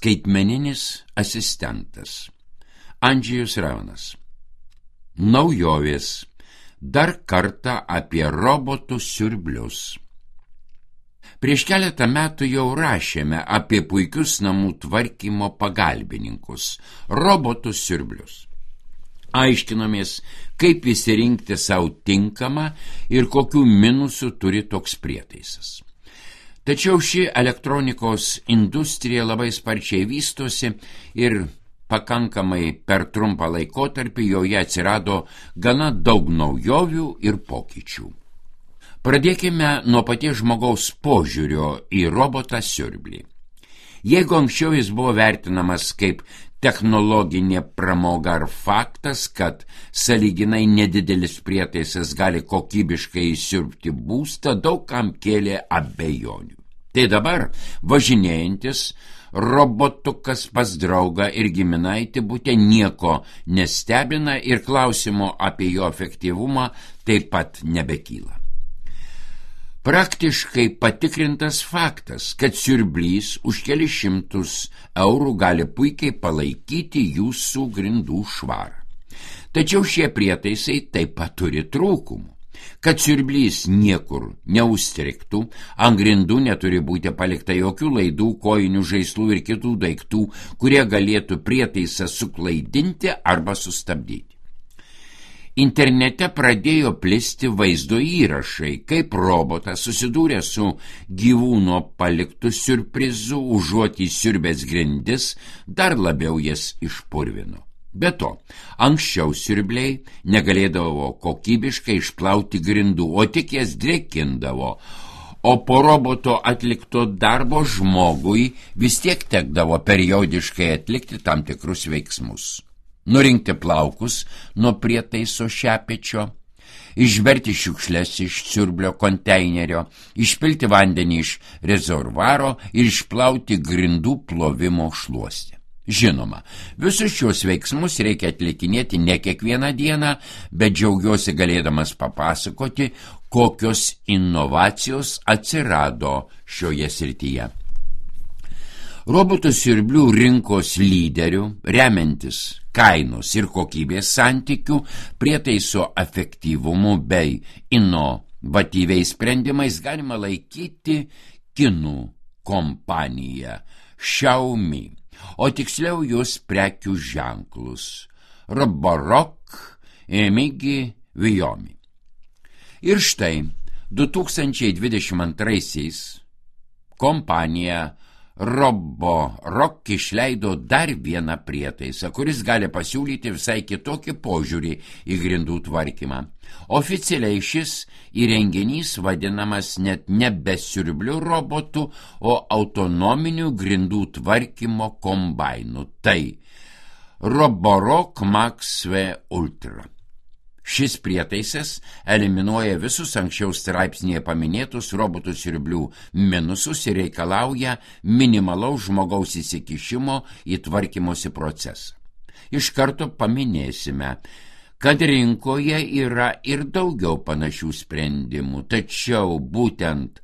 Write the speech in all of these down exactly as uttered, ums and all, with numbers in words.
Skaitmeninis asistentas. Andžejus Raunas. Naujovės. Dar kartą apie robotų siurblius. Prieš keletą metų jau rašėme apie puikius namų tvarkymo pagalbininkus – robotų siurblius. Aiškinomės, kaip įsirinkti savo tinkamą ir kokių minusų turi toks prietaisas. Tačiau ši elektronikos industrija labai sparčiai vystosi ir pakankamai per trumpą laikotarpį joje atsirado gana daug naujovių ir pokyčių. Pradėkime nuo paties žmogaus požiūrio į robotą siurblį. Jeigu anksčiau jis buvo vertinamas kaip technologinė pramoga ar faktas, kad sąlyginai nedidelis prietaisas gali kokybiškai įsiurbti būstą, daug kam kėlė abejonių. Tai dabar važinėjantis robotukas pas draugą ir giminaitį bute nieko nestebina ir klausimo apie jo efektyvumą taip pat nebekyla. Praktiškai patikrintas faktas, kad siurblys už kelis šimtus eurų gali puikiai palaikyti jūsų grindų švarą. Tačiau šie prietaisai taip pat turi trūkumų. Kad siurblys niekur neužstrigtų, ant grindų neturi būti palikta jokių laidų, kojinių, žaislų ir kitų daiktų, kurie galėtų prietaisą suklaidinti arba sustabdyti. Internete pradėjo plisti vaizdo įrašai, kaip robotas susidūrė su gyvūno paliktų siurprizu, užuot įsiurbęs grindis, dar labiau jas išpurvino. Be to, anksčiau siurbliai negalėdavo kokybiškai išplauti grindų, o tik jas drėkindavo, o po roboto atlikto darbo žmogui vis tiek tekdavo periodiškai atlikti tam tikrus veiksmus. Nurinkti plaukus nuo prietaiso šepečio, išberti šiukšles iš siurblio konteinerio, išpilti vandenį iš rezervuaro ir išplauti grindų plovimo šluostę. Žinoma, visus šios veiksmus reikia atlikinėti ne kiekvieną dieną, bet džiaugiuosi galėdamas papasakoti, kokios inovacijos atsirado šioje srityje. Robotų siurblių rinkos lyderių, remiantis kainos ir kokybės santykių, prietaiso efektyvumu bei inovatyviais sprendimais galima laikyti kinų kompaniją Xiaomi, o tiksliau jos prekių ženklus Roborock, Emigi, Viomi. Ir štai du tūkstančiai dvidešimt antraisiais kompanija Roborock išleido dar vieną prietaisą, kuris gali pasiūlyti visai kitokį požiūrį į grindų tvarkymą. Oficialiai šis įrenginys vadinamas net nebe siurblių robotų, o autonominių grindų tvarkymo kombainų. Tai Roborock Max V Ultra. Šis prietaisas eliminuoja visus anksčiau straipsnėje paminėtus robotų siurblių minusus ir reikalauja minimalaus žmogaus įsikišimo į tvarkymosi procesą. Iš karto paminėsime, kad rinkoje yra ir daugiau panašių sprendimų, tačiau būtent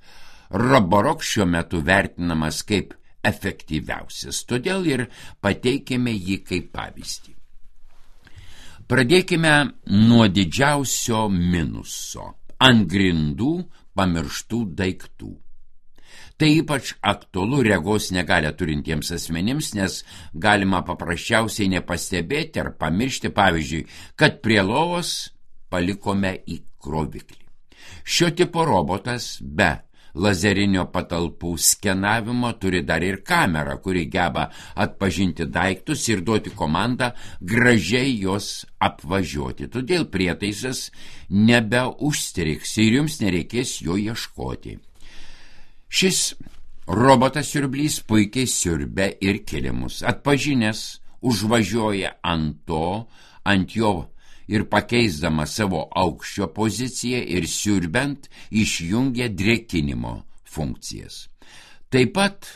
Roborock šiuo metu vertinamas kaip efektyviausias, todėl ir pateikėme jį kaip pavyzdį. Pradėkime nuo didžiausio minuso – ant grindų pamirštų daiktų. Tai ypač aktualu regos negalią turintiems asmenims, nes galima paprasčiausiai nepastebėti ar pamiršti, pavyzdžiui, kad prie lovos palikome įkroviklį. Šio tipo robotas be lazerinio patalpų skenavimo turi dar ir kamerą, kuri geba atpažinti daiktus ir duoti komandą gražiai jos apvažiuoti. Todėl prietaisas nebeužstrigs ir jums nereikės jo ieškoti. Šis robotas siurblys puikiai siurbia ir kilimus. Atpažinęs užvažiuoja ant to, ant jo ir pakeisdama savo aukščio poziciją ir siurbiant išjungia drėkinimo funkcijas. Taip pat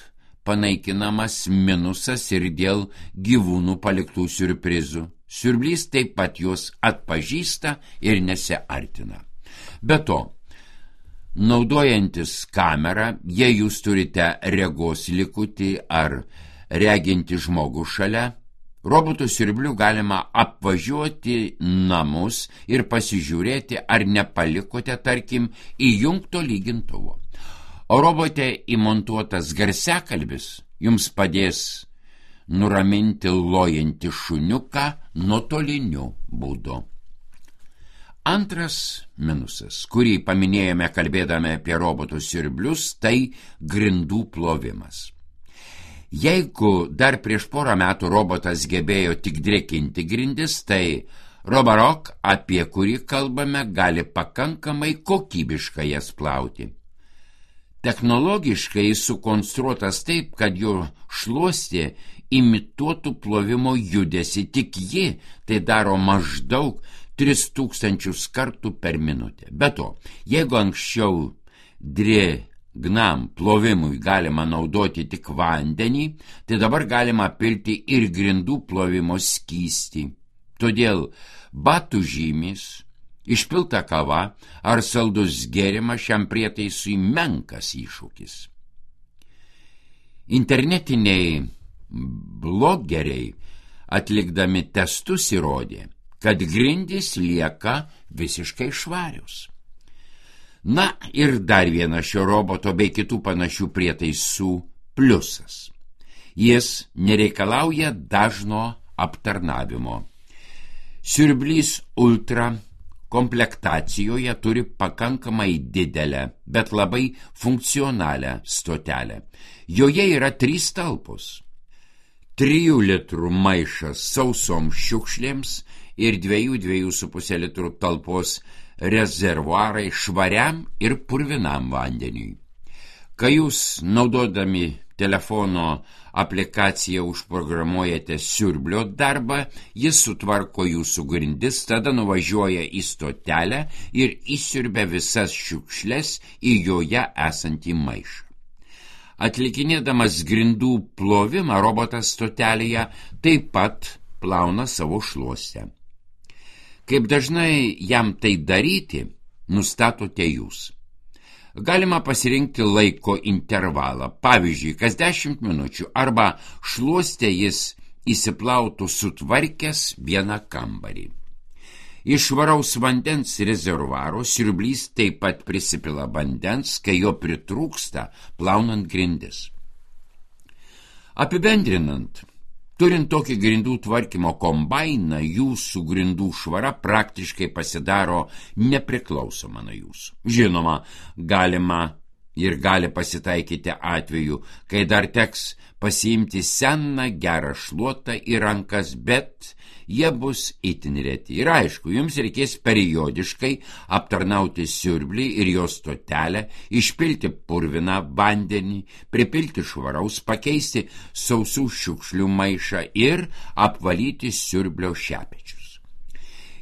panaikinamas minusas ir dėl gyvūnų paliktų siurprizų. Siurblys taip pat juos atpažįsta ir nesiartina. Be to, naudojantis kamerą, jei jūs turite regos likutį ar reginti žmogų šalia, robotų siurblių galima apvažiuoti namus ir pasižiūrėti, ar nepalikote, tarkim, įjungto lygintuvo. O robote įmontuotas garsiakalbis jums padės nuraminti lojantį šuniuką nuotoliniu būdu. Antras minusas, kurį paminėjome kalbėdami apie robotų siurblius, tai grindų plovimas. Jeigu dar prieš porą metų robotas gebėjo tik drėkinti grindis, tai Roborock, apie kurį kalbame, gali pakankamai kokybiškai jas plauti. Technologiškai jis sukonstruotas taip, kad jo šluostė imituotų plovimo judesį, tik ji tai daro maždaug tris tūkstančius kartų per minutę. Be to, jeigu anksčiau drėgnam plovimui galima naudoti tik vandenį, tai dabar galima pilti ir grindų plovimo skystį. Todėl batų žymės, išpilta kava ar saldus gėrimas šiam prietaisui menkas iššūkis. Internetiniai blogeriai atlikdami testus įrodė, kad grindys lieka visiškai švarios. Na ir dar vienas šio roboto bei kitų panašių prietaisų pliusas. Jis nereikalauja dažno aptarnavimo. Siurblys Ultra komplektacijoje turi pakankamai didelę, bet labai funkcionalią stotelę. Joje yra trys talpos. Trijų litrų maišas sausom šiukšlėms ir dviejų dviejų su puse litrų talpos rezervuarai švariam ir purvinam vandeniui. Kai jūs naudodami telefono aplikaciją užprogramuojate siurblio darbą, jis sutvarko jūsų grindis, tada nuvažiuoja į stotelę ir įsiurbia visas šiukšles į joje esantį maišą. Atlikinėdamas grindų plovimą, robotas stotelėje taip pat plauna savo šluostę. Kaip dažnai jam tai daryti, nustatote jūs. Galima pasirinkti laiko intervalą, pavyzdžiui, kas dešimt minučių, arba šluostę jis įsiplautų sutvarkęs vieną kambarį. Iš švaraus vandens rezervuaro siurblys taip pat prisipila vandens, kai jo pritrūksta plaunant grindis. Apibendrinant, turint tokį grindų tvarkymo kombainą, jūsų grindų švara praktiškai pasidaro nepriklausoma nuo jūsų. Žinoma, galima ir gali pasitaikyti atveju, kai dar teks pasiimti seną gerą šluotą į rankas, bet jie bus itin reti. Ir aišku, jums reikės periodiškai aptarnauti siurblį ir jo stotelę, išpilti purviną vandenį, pripilti švaraus, pakeisti sausų šiukšlių maišą ir apvalyti siurblio šepečius.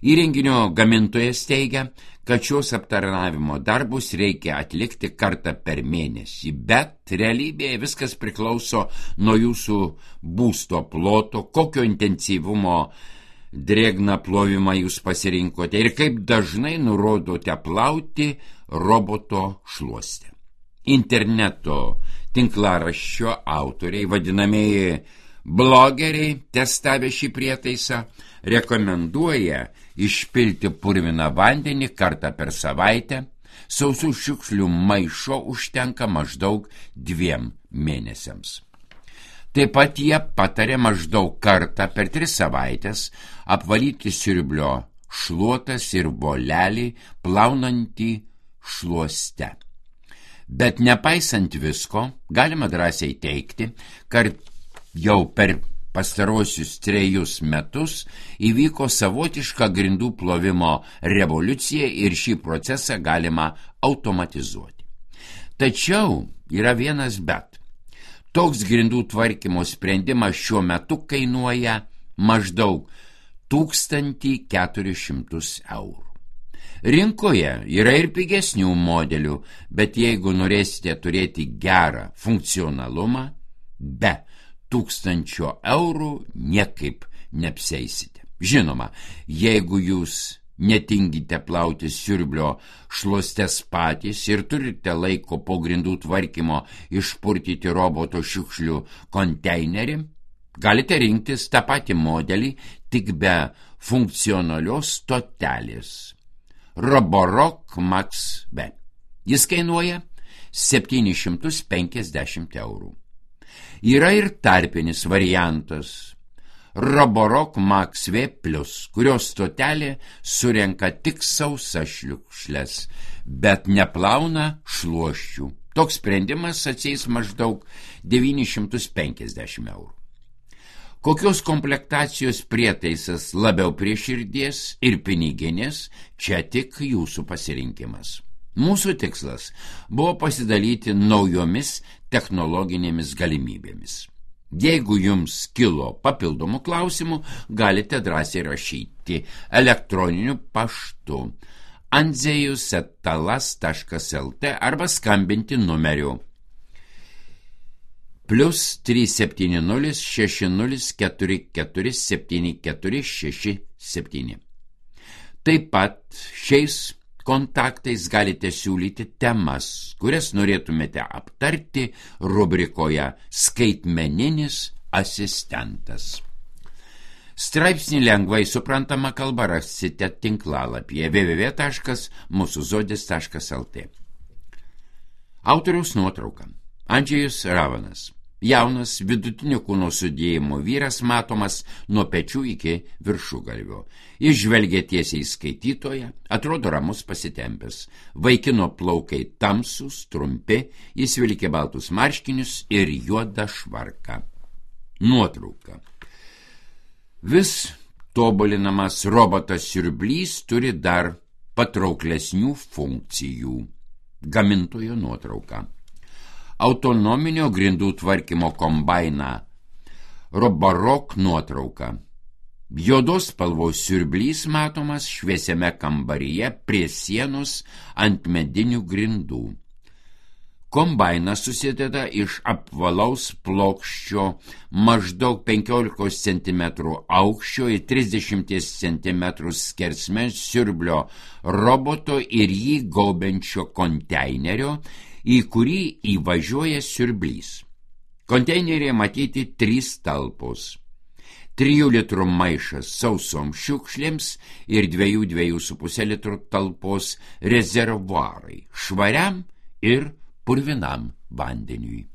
Įrenginio gamintojas teigia, kad šios aptarnavimo darbus reikia atlikti kartą per mėnesį, bet realybėje viskas priklauso nuo jūsų būsto ploto, kokio intensyvumo drėgną plovimą jūs pasirinkote ir kaip dažnai nurodote plauti roboto šluostę. Interneto tinklaraščio autoriai, vadinamieji blogeriai, testavę šį prietaisą, rekomenduoja išpilti purviną vandenį kartą per savaitę, sausų šiukšlių maišo užtenka maždaug dviem mėnesiams. Taip pat jie patarė maždaug kartą per tris savaitės apvalyti siurblio šluotas ir volelį plaunantį šluoste. Bet nepaisant visko, galima drąsiai teigti, kad jau per pastarosius trejus metus įvyko savotiška grindų plovimo revoliucija ir šį procesą galima automatizuoti. Tačiau yra vienas bet. Toks grindų tvarkymo sprendimas šiuo metu kainuoja maždaug tūkstantį keturis šimtus eurų. Rinkoje yra ir pigesnių modelių, bet jeigu norėsite turėti gerą funkcionalumą, be tūkstančio eurų niekaip neapsieisite. Žinoma, jeigu jūs netingite plauti siurblio šluostes patys ir turite laiko po grindų tvarkymo išpurtyti roboto šiukšlių konteinerį, galite rinktis tą patį modelį, tik be funkcionalios stotelės. Roborock Max B. Jis kainuoja septynis šimtus penkiasdešimt eurų. Yra ir tarpinis variantas Roborock Max V plus, kurios stotelė surenka tik sausas šliukšles, bet neplauna šluosčių. Toks sprendimas atsieis maždaug devynis šimtus penkiasdešimt eurų. Kokios komplektacijos prietaisas labiau prie širdies ir piniginės, čia tik jūsų pasirinkimas. Mūsų tikslas buvo pasidalyti naujomis technologinėmis galimybėmis. Jeigu jums kilo papildomų klausimų, galite drąsiai rašyti elektroniniu paštu andzejus eta talas taškas lt arba skambinti numeriu plus trys septyni nulis šeši nulis keturi keturi septyni keturi šeši septyni. Taip pat šiais kontaktais galite siūlyti temas, kurias norėtumėte aptarti rubrikoje Skaitmeninis asistentas. Straipsnį lengvai suprantama kalba rasite tinklalapyje w w w taškas mūsų zodis taškas lt. Autoriaus nuotrauka. Andžejus Ravanas. Jaunas vidutinio kūno sudėjimo vyras matomas nuo pečių iki viršugalvio. Jis žvelgia tiesiai į skaitytoją, atrodo ramus pasitempęs. Vaikino plaukai tamsūs, trumpi, jis vilkė baltus marškinius ir juodą švarką. Nuotrauka. Vis tobulinamas robotas siurblys turi dar patrauklesnių funkcijų. Gamintojo nuotrauka. Autonominio grindų tvarkymo kombainą Roborock nuotrauka. Juodos spalvos siurblys matomas šviesiame kambaryje prie sienos ant medinių grindų. Kombainas susideda iš apvalaus plokščio maždaug penkiolikos centimetrų aukščio ir trisdešimt centimetrų skersmens siurblio roboto ir jį gaubiančio konteinerio, į kurį įvažiuoja siurblys. Konteinerėje matyti trys talpos. Trijų litrų maišas sausom šiukšlėms ir dviejų dviejų su puse litrų talpos rezervuarai švariam ir purvinam vandeniui.